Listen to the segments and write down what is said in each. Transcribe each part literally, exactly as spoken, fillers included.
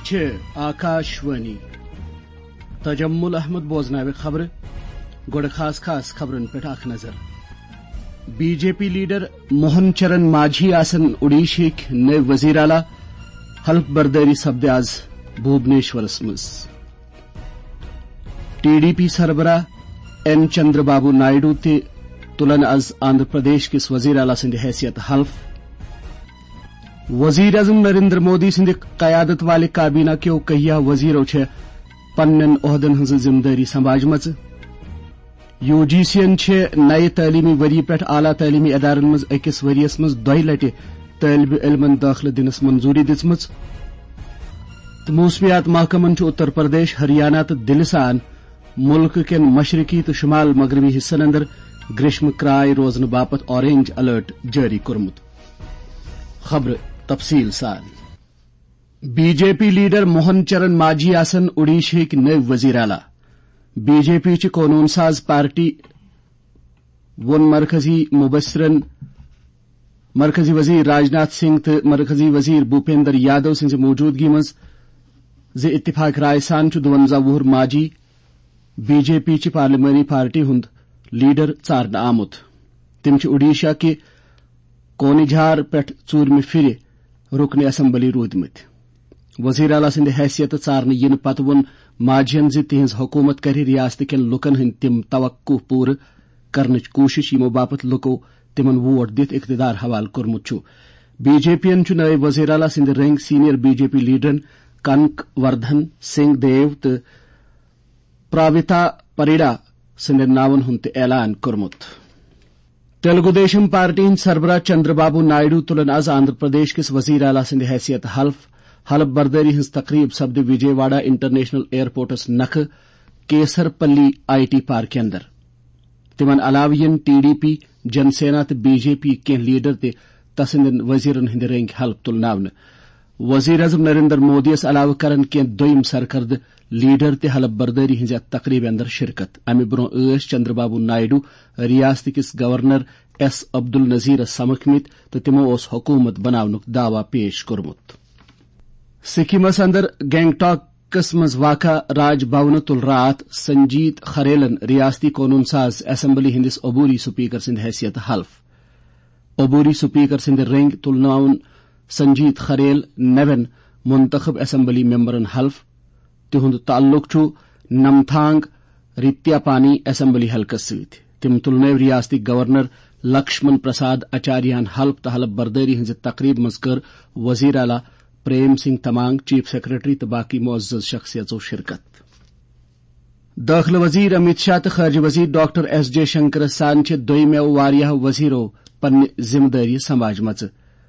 چھِ آکاشوانی۔ تجمل احمد بوزناوِ خبرٕ۔ گۄڈٕ خاص خاص خبرن پٮ۪ٹھ اکھ نظر۔ B J P leader Mohan Charan Majhi آسن اوڈیشہٕکۍ نٔوۍ وزیر اعلیٰ۔ حلف بردٲری سپدِ آز بھوبنیشورس منٛز۔ ٹی ڈی پی سربراہ این چندر بابو نائیڈو تہِ تُلن از آندھرا پردیش کِس وزیر اعلیٰ سٕنٛدِ حیثیت حلف۔ وزیر اعظم نریندر مودی سٕنٛدِ قیادت والہِ کابینہ کیو کہیا وزیرو چھےٚ پننٮ۪ن عہدن ہٕنٛز ذمہٕ دٲری سمبھاجمژٕ۔ یو جی سی یَن چھِ نَیہِ تعلیٖمی ؤری پٮ۪ٹھ اعلیٰ تعلیٖمی ادارن منٛز أکِس ؤرۍ یَس منٛز دۄیہِ لٹہِ طٲلبہِ علمن دٲخلہٕ دِنس منظوٗری دِژمٕژ۔ تہٕ موسمیات محکمن چھُ اتر پردیش، ہریانہ تہٕ دِلہِ سان مُلکہٕ کٮ۪ن مشرقی تہٕ شمال مغربی حصن اندر گریشمہٕ کرٛاے روزنہٕ باپتھ اورینج الرٹ جٲری کوٚرمُت۔ خبرٕ تفصیٖل سان۔ B J P leader Mohan Charan Majhi آسن اوڈیشہٕکۍ نٔوۍ وزیر اعلیٰ۔ بی جے پی چہِ قونوٗن ساز پارٹی ووٚن مرکزی مبصرن، مرکزی وزیر راجناتھ سنگھ تہٕ مرکزی وزیر بھوپیندر یادو سٕنٛزِ موجودگی منٛز زِ اتفاق رائے سان چھُ دُوَنزاہ وُہُر ماجھی بی جے پی چہِ پارلیمانی پارٹی ہُنٛد لیڈر ژارنہٕ آمُت۔ تِم چھِ اوڈیشہ کہِ کونجھار پٮ۪ٹھ ژوٗرمہِ پھِرِ رکن اسمبلی روٗدمٕتۍ۔ وزیر اعلیٰ سٕنٛدِ حیثیتہٕ ژارنہٕ یِنہٕ پتہٕ ووٚن ماجھین زِ تِہنٛز حکومت کرِ ریاست کٮ۪ن لوٗکن ہٕنٛدۍ تِم توقع پوٗرٕ کرنٕچ کوٗشش، یِمو باپتھ لوٗکو تِمن ووٹ دِتھ اقتدار حوالہٕ کوٚرمُت چھُ۔ بی جے پی یَن چھُ نٲیِب وزیر اعلیٰ سٕنٛدِ رٔنٛگۍ سینئر بی جے پی لیڈرن کنک وردھن سنگھ دیو تہٕ پراویتا پریڑا سٕنٛدٮ۪ن ناون ہُنٛد تہِ اعلان کوٚرمُت۔ تیلگو دیشم پارٹی ہٕنٛدۍ سربراہ چندر بابو نائیڈو تُلن از آندھرا پردیش کِس وزیر اعلیٰ سٕنٛدِ حیثیت حلف۔ حلف بردٲری ہٕنٛز تقریب سپدِ وجے واڑہ انٹرنیشنل ایئرپورٹس نکھٕ کیسر پلی آئی ٹی پارکہِ اندر۔ تِمن علاوٕ یِن ٹی ڈی پی، جن سینا تہٕ بی جے پی کینٛہہ لیڈر تہِ تسٕنٛدٮ۪ن وزیرن ہٕنٛدِ رٔنٛگۍ حلف تُلناونہٕ۔ وزیر اعظم نریندر مودی یَس علاوٕ کرن کینٛہہ دوٚیم سرکردٕ لیڈر تہِ حلف بردٲری ہٕنٛزِ اَتھ تقریبہِ اندر شرکت۔ امہِ برونٛہہ ٲسۍ چندر بابو نائیڈو ریاست کِس گورنر ایس عبدالنذیرس سمکھمٕتۍ تہٕ تِمو اوس حکومت بناونُک دعویٰ پیش کوٚرمُت۔ سکمس اندر گینگٹاکس منٛز واقع راج بھونہٕ تُل راتھ سنجیت خریلن ریاستی قونوٗن ساز اسمبلی ہٕنٛدِس عبوری سپیکر سٕنٛدِ حیثیت حلف۔ عبوری سپیکر سٕنٛدِ رٔنٛگۍ تُلناوُن سنجیت خریل نوٮ۪ن منتخب اسمبلی ممبرن حلف۔ تِہُنٛد تعلق چھُ نمتھانگ ریتیاپانی اسمبلی حلقس سۭتۍ۔ تِم تُلنٲوۍ ریاستی گورنر لکشمن پرساد آچاریہن حلف تہٕ حلف بردٲری ہٕنٛزِ تقریبہِ منٛز کٔر وزیر اعلیٰ پریم سنگھ تمانگ، چیف سیکرٹری تہٕ باقی معزز شخصیژو شرکت۔ دٲخلہٕ وزیر امیت شاہ تہٕ خارجہ وزیر ڈاکٹر ایس جے شنکرس سان چھِ دوٚیمٮ۪و واریاہو وزیرو پننہِ ذمہٕ دٲری سمبھاجمژٕ۔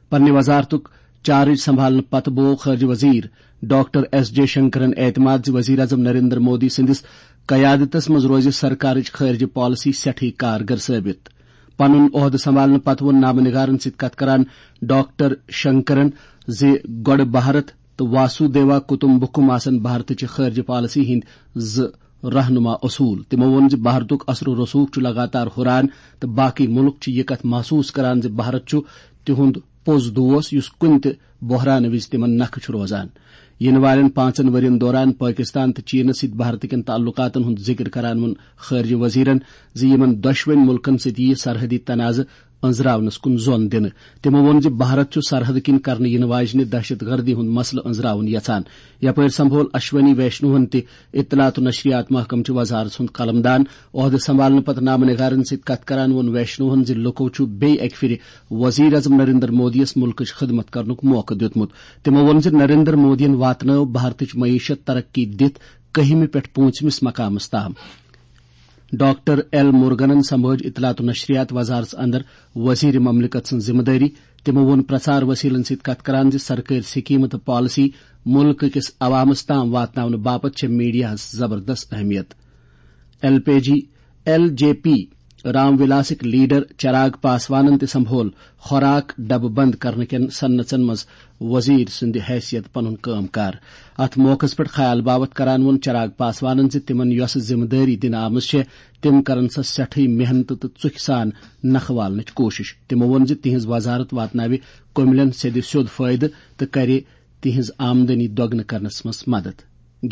پننہِ وزارتُک چارج سنبھالنہٕ پتہٕ بوو خارجہ وزیر ڈاکٹر ایس جے شنکرن اعتماد زِ وزیر اعظم نریندر مودی سٕنٛدِس قیادتس منٛز روزِ سرکارٕچ خارجہ پالیسی سٮ۪ٹھٕے کارگر ثٲبت۔ پنُن عہدٕ سنبھالنہٕ پتہٕ ووٚن نامہ نگارن سۭتۍ کتھ کران ڈاکٹر شنکرن زِ گۄڈٕ بھارت تہٕ واسو دیوا کُٹُمبکم آسن بھارتٕچہِ خارجہ پالیسی ہٕنٛدۍ زٕ رہنما اصول۔ تِمو ووٚن زِ بھارتُک اثر و رسوخ چھُ لگاتار ہُران تہٕ باقی مُلک چھِ یہِ کتھ محسوس کران زِ بھارت چھُ تِہُنٛد پوٚز دوست، یُس کُنہِ تہِ بحرانہٕ وِزِ تِمن نکھٕ چھُ روزان۔ یِنہٕ والٮ۪ن پانٛژن ؤرین دوران پٲکستان تہٕ چینس سۭتۍ بھارت کٮ۪ن تعلقاتن ہُنٛد ذِکر کران ووٚن خارجہ وزیرن زِ یِمن دۄشوٕنۍ مُلکن سۭتۍ یِیہِ سرحدی تنازٕ أنٛزراونس کُن زون دِنہٕ۔ تِمو ووٚن زِ بھارت چھُ سرحد کِنۍ کرنہٕ یِنہٕ واجنہِ دہشت گردی ہُنٛد مسلہٕ أنٛزراوُن یژھان۔ یپٲرۍ سمبھول اشونی ویشنوہن تہِ اطلاعات و نشریات محکمہٕ چہِ وزارژ ہُنٛد قلمدان۔ عہدٕ سنبھالنہٕ پتہٕ نامہ نگارن سۭتۍ کتھ کران ووٚن ویشنوہن زِ لُکو چھُ بیٚیہِ اکہِ پھِرِ وزیر اعظم نریندر مودی یَس مُلکٕچ خدمت کرنُک موقعہٕ دیُتمُت۔ تِمو ووٚن زِ نریندر مودیَن واتنٲو بھارتٕچ معیشت ترقی دِتھ کٔہمہِ پٮ۪ٹھ پوٗنٛژمِس مقامس تام۔ ڈاکٹر ایل مورگنن سمبھٲج اطلاعات و نشریات وزارژ اندر وزیر مملکت سٕنٛز ذمہٕ دٲری۔ تِمو ووٚن پرچار وسیلن سۭتۍ کتھ کران زِ سرکٲرۍ سکیمہٕ تہٕ پالیسی مُلکہٕ کِس عوامس تام واتناونہٕ باپتھ چھےٚ میڈیاہس زبردست اہمیت۔ L P G, L J P Ram ولاسٕکۍ لیڈر چراغ پاسوانن تہِ سمبھول خوراک ڈبہٕ بند کرنہٕ کٮ۪ن صنعژن منٛز وزیر سٕنٛدِ حیثیت پنُن کٲم کار۔ اتھ موقعس پٮ۪ٹھ خیال باوتھ کران ووٚن چراغ پاسوانن زِ تِمن یۄسہٕ ذمہٕ دٲری دِنہٕ آمٕژ چھےٚ، تِم کرن سۄ سٮ۪ٹھٕے محنتہٕ تہٕ ژُکھِ سان نکھٕ والنٕچ کوٗشش۔ تِمو ووٚن زِ تِہنٛز وزارت واتناوِ کٔملٮ۪ن سیٚدِ سیوٚد فٲیدٕ تہٕ کرِ تہنٛز آمدنی دۄگنہٕ کرنس منٛز مدد۔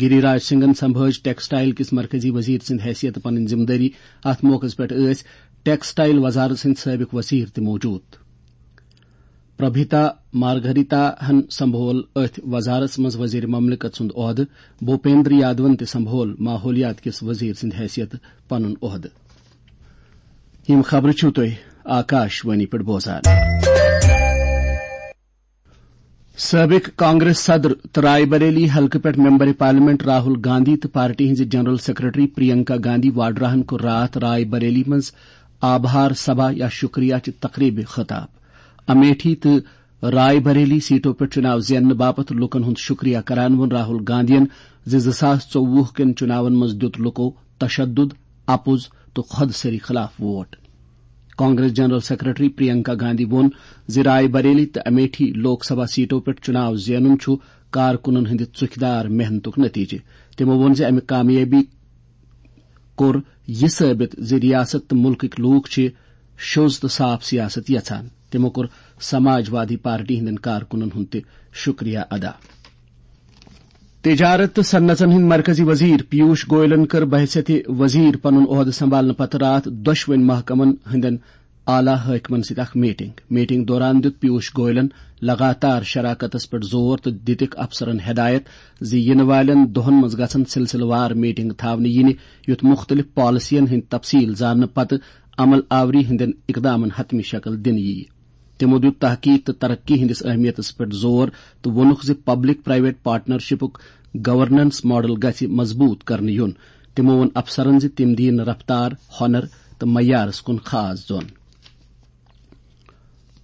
گری راج سنگھن سمبھٲج ٹیکسٹائل کِس مرکزی وزیر سٕنٛدِ حیثیتہٕ پنٕنۍ ذمہٕ دٲری۔ اتھ موقعس پٮ۪ٹھ ٲسۍ ٹیکسٹائل وزارت سٕنٛدۍ سٲبق وزیر تہِ موجود۔ پربھیتا مارگریتا ہن سمبھول أتھۍ وزارتس منٛز وزیر مملکت سُنٛد عہدٕ۔ بھوپیندر یادون تہِ سمبھول ماحولیات کِس وزیر سٕنٛدِ حیثیتہٕ پنُن عہدٕ۔ یِم خبرٕ چھِو تُہۍ آکاش وانی پٮ۪ٹھ بوزان۔ سٲبق کانگریس صدر تہٕ راے بریلی حلقہٕ پٮ۪ٹھ ممبر پارلیمنٹ راہل گاندھی تہٕ پارٹی ہٕنٛزِ جنرل سیکرٹری پرینکا گاندھی واڈراہن کوٚر راتھ راے بریلی منٛز آبہار سبھا یا شکریہ چہِ تقریبہِ خطاب۔ امیٹھی تہٕ راے بریلی سیٹو پٮ۪ٹھ چُناو زیننہٕ باپتھ لوٗکن ہُنٛد شکریہ کران ووٚن راہل گاندھین زِ زٕ ساس ژوٚوُہ کٮ۪ن چُناون منٛز دیُت لوٗکو تشدد، اپُز تہٕ خۄد سری خلاف vote. Congress general secretary Priyanka Gandhi ووٚن زِ راے بریلی تہٕ امیٹھی لوک سبھا سیٹو پٮ۪ٹھ چُناو زینُن چھُ کارکُنن ہٕنٛدِ ژُکھدار محنتُک نتیجہٕ۔ تِمو ووٚن زِ امہِ کامیٲبی کوٚر یہِ ثٲبت زِ ریاست تہٕ مُلکٕکۍ لوٗکھ چھِ شوٚز تہٕ صاف سیاست یژھان۔ تِمو کوٚر سماجوادی پارٹی ہٕنٛدٮ۪ن کارکُنن ہُنٛد تہِ شکریہ ادا۔ تجارت تہٕ صنعتن ہٕنٛدۍ مرکزی وزیر پیوش گوئلن کٔر بحیثیت وزیر پنُن عہدٕ سنبھالنہٕ پتہٕ راتھ دۄشوٕنۍ محکمن ہٕنٛدٮ۪ن اعلیٰ حٲکمن سۭتۍ اکھ میٹنگ۔ میٹنگ دوران دیُت پیوش گوئلن لگاتار شراکتس پٮ۪ٹھ زور تہٕ دِتِکھ افسرن ہدایت زِ یِنہٕ والٮ۪ن دۄہن منٛز گژھن سلسلہٕ وار میٹنگ تھاونہٕ یِنہِ، یُتھ مُختٔلِف پالیسین ہٕنٛدۍ تفصیل زاننہٕ پتہٕ عمل آوری ہٕنٛدٮ۪ن اقدامن حتمی شکل دِنہٕ یِیہِ۔ تِمو دیُت تحقیق تہٕ ترقی ہٕنٛدِس اہمیتس پٮ۪ٹھ زور تہٕ ووٚنُکھ زِ پبلک پرائیویٹ پارٹنرشپُک گورننس ماڈل گژھِ مضبوط کرنہٕ یُن۔ تِمو ووٚن افسرن زِ تِم دِیِن رفتار، ہۄنر تہٕ معیارس کُن خاص زون۔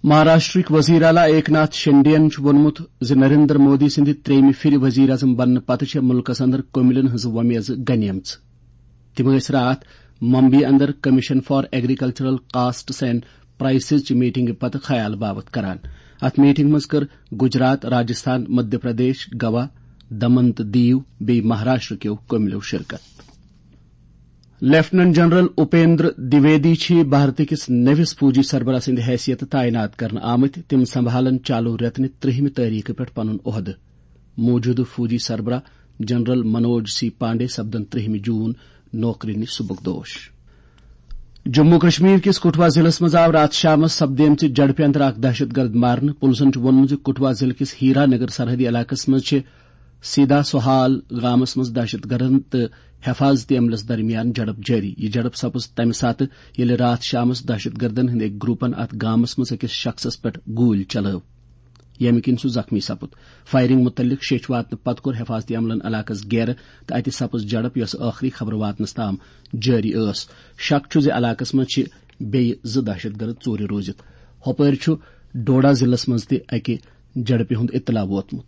مہاراشٹرٕکۍ وزیر اعلیٰ ایک ناتھ شنڈے ین چھُ ووٚنمُت زِ نریندر مودی سٕنٛدِ ترٛیٚیمہِ پھِرِ وزیر اعظم بننہٕ پتہٕ چھےٚ مُلکس اندر کٔمِلٮ۪ن ہٕنٛز وۄمیزٕ گنیمژ۔ تِم ٲسۍ راتھ ممبئی اندر Commission for Agricultural Costs and Prices چہِ میٹنگہِ پتہٕ خیال باوت کران۔ اتھ میٹنگ منٛز کٔر گجرات، راجستھان، مدھیہ پردیش، گوا، دمن تہٕ دیو بیٚیہِ مہاراشٹر کیو کٔمِلٮ۪و شرکت۔ لیفٹیننٹ جنرل اپیندر دویدی چھِ بھارت کِس نٔوِس فوجی سربراہ سٕنٛدِ حیثیتہٕ تعینات کرنہٕ آمٕتۍ۔ تِم سنبھالن چالو رٮ۪تہٕ نہِ ترٛہمہِ تٲریخہٕ پٮ۪ٹھ پنُن عہدٕ۔ موجودٕ فوجی سربراہ جنرل منوج سی پانڈے سپدن ترٛہمہِ جون نوکری نِش سبکدوش۔ جموں کشمیر کِس کٹھوا ضلعس منٛز آو راتھ شامس سپدیمژِ جھڑپہِ اندر اکھ دہشت گرد مارنہٕ۔ پُلسن چھُ ووٚنمُت زِ کٹھوا ضلعہٕ کِس ہیرا نگر سرحدی علاقس منٛز چھِ سیدا سہال گامس منٛز دہشت گردن تہٕ حفاظتی عملس درمیان جھڑپ جٲری۔ یہِ جھڑپ سپٕز تمہِ ساتہٕ، ییٚلہِ راتھ شامس دہشت گردن ہٕنٛدۍ أکۍ گروپن اتھ گامس منٛز أکِس شخصس پٮ۪ٹھ گوٗلۍ چلٲو، ییٚمہِ کِنۍ سُہ زخمی سپُد۔ فائرنگ مُتعلق شیٚچھ واتنہٕ پتہٕ کوٚر حفاظتی عملن علاقس گیرٕ تہٕ اتہِ سپٕز جھڑپ، یۄسہٕ ٲخری خبر واتنس تام جٲری ٲس۔ شک چھُ زِ علاقس منٛز چھِ بیٚیہِ زٕ دہشت گرد ژوٗرِ روٗزِتھ۔ ہۄپٲرۍ چھُ ڈوڈا ضلعس منٛز تہِ اکہِ جھڑپہِ ہُنٛد اطلاع ووتمُت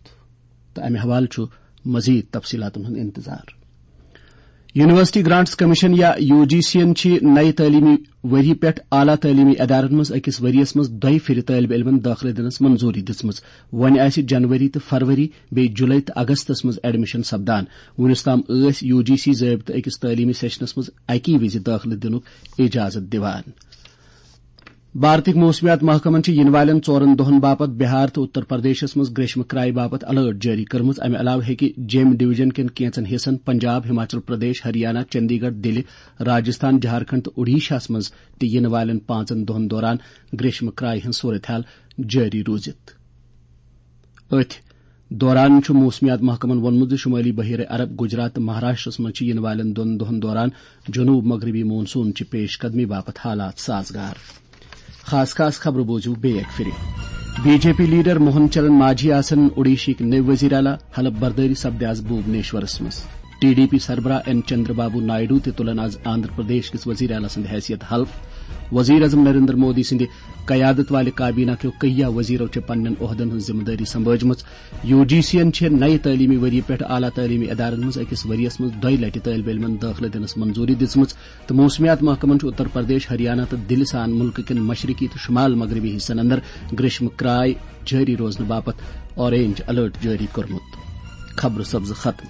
تہٕ امہِ حوالہٕ چھُ مزید تفصیلاتن ہُنٛد انتظار۔ یونیورسٹی گرانٹس کمیشن یا یو جی سی ین چھِ نَیہِ تعلیمی ؤری پٮ۪ٹھ اعلیٰ تعلیمی ادارن منٛز أکِس ؤرِیَس منٛز دۄیہِ پھِرِ طٲلبہِ علمن دٲخلہٕ دِنس منظوٗری دِژمٕژ۔ وۄنۍ آسہِ جنوری تہٕ فروری بیٚیہِ جُلے تہٕ اگستس منٛز ایڈمیشن سپدان۔ وُنیُس تام ٲسۍ یو جی سی ضٲبطہٕ أکِس تعلیمی سیشنس منٛز اکی وِزِ دٲخلہٕ دِنُک اجازت دِوان۔ بھارتٕکۍ موسمیات محکمن چھِ یِنہٕ والٮ۪ن ژورن دۄہن باپتھ بہار تہٕ اتر پردیشس منٛز گریشمہٕ کرایہِ باپتھ الرٹ جٲری کٔرمٕژ۔ امہِ علاوٕ ہیٚکہِ جیٚمۍ ڈویژن کٮ۪ن کینٛژن حصن، پنجاب، ہماچل پردیش، ہریانہ، چندی گڑھ، دِلہِ، راجستھان، جھارکھنڈ تہٕ اوڈیشاہس منٛز تہِ یِنہٕ والٮ۪ن پانٛژن دۄہن دوران گریشمہٕ کرایہِ ہٕنٛز صورتحال جٲری روٗزِتھ۔ أتھۍ دوران چھُ موسمیات محکمَن ووٚنمُت زِ شمٲلی بحیرہ عرب، گجرات تہٕ مہاراشٹرس منٛز چھِ یِنہٕ والٮ۪ن دۄن دۄہَن دوران جنوب مغربی مون سون چہِ پیش قدمی باپتھ حالات سازگار۔ خاص خاص خبرٕ بوٗزِو بیٚیہِ اَکہِ پھِرِ۔ B J P leader Mohan Charan Majhi آسن اوڈیشہٕکۍ نٔوۍ وزیر اعلیٰ، حلف بردٲری سپدِ آز بھوبنیشورس منٛز۔ ٹی ڈی پی سربراہ این چندر بابو نائیڈو تہِ تُلن آز آندھرا پردیش کِس وزیر اعلیٰ سٕنٛدِ حیثیت حلف۔ وزیر اعظم نریندر مودی سٕنٛدِ قیادت والہِ کابینہ کیو کئیا وزیرو چھِ پننٮ۪ن عہدن ہٕنٛز ذمہٕ دٲری سنبھٲجمٕژ۔ یو جی سی ین چھِ نَیہِ تعلیمی ؤری پٮ۪ٹھ اعلیٰ تعلیمی ادارن منٛز أکِس ؤرِیَس منٛز دۄیہِ لٹہِ طٲلبہِ علمن دٲخلہٕ دِنس منظوٗری دِژمٕژ تہٕ موسمیات محکمن چھُ اتر پردیش، ہریانہ تہٕ دِلہِ سان مُلکہٕ کٮ۪ن مشرقی تہٕ شمال مغربی حصن اندر گریشمہٕ کرایہِ جٲری روزنہٕ باپتھ اورینج الرٹ جٲری کوٚرمُت۔ خبرٕ سپزٕ ختم۔